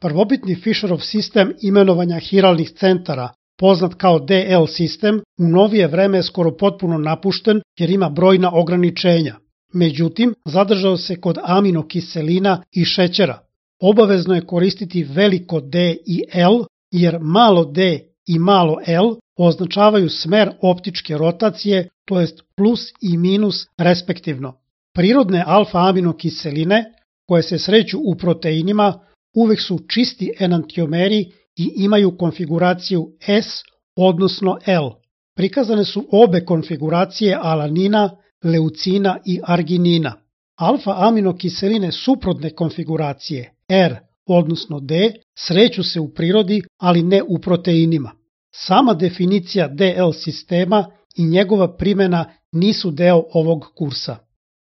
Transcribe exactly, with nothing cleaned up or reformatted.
Prvobitni Fisherov sistem imenovanja hiralnih centara, poznat kao D L sistem, u novije vreme je skoro potpuno napušten jer ima brojna ograničenja. Međutim, zadržao se kod aminokiselina i šećera. Obavezno je koristiti veliko D i L, jer malo D i malo L označavaju smer optičke rotacije, to jest plus i minus respektivno. Prirodne alfa-aminokiseline, koje se sreću u proteinima, uvek su čisti enantiomeri i imaju konfiguraciju S, odnosno L. Prikazane su obe konfiguracije alanina, leucina i arginina. Alfa-aminokiseline suprotne konfiguracije R, odnosno D, sreću se u prirodi, ali ne u proteinima. Sama definicija D L sistema i njegova primjena nisu deo ovog kursa.